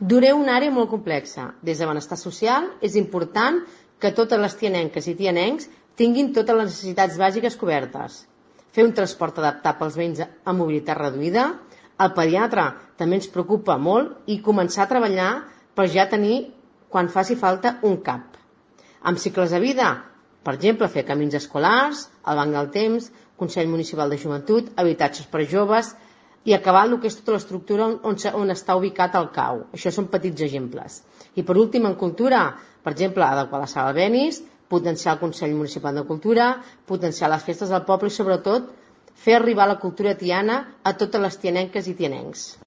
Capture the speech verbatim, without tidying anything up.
Duré una àrea molt complexa. Des de benestar social és important que totes les tianenques i tianencs tinguin totes les necessitats bàsiques cobertes. Fer un transport adaptat pels veïns amb mobilitat reduïda. El pediatre també ens preocupa molt i començar a treballar per ja tenir, quan faci falta, un C A P. Amb cicles de vida, per exemple, fer camins escolars, el banc del temps, Consell Municipal de Joventut, habitatges per a joves i acabar el que és tota l'estructura on, on, on està ubicat el C A U. Això són petits exemples. I per últim, en cultura, per exemple, adequar la sala Benis, potenciar el Consell Municipal de Cultura, potenciar les festes del poble i, sobretot, fer arribar la cultura tiana a totes les tianenques i tianencs.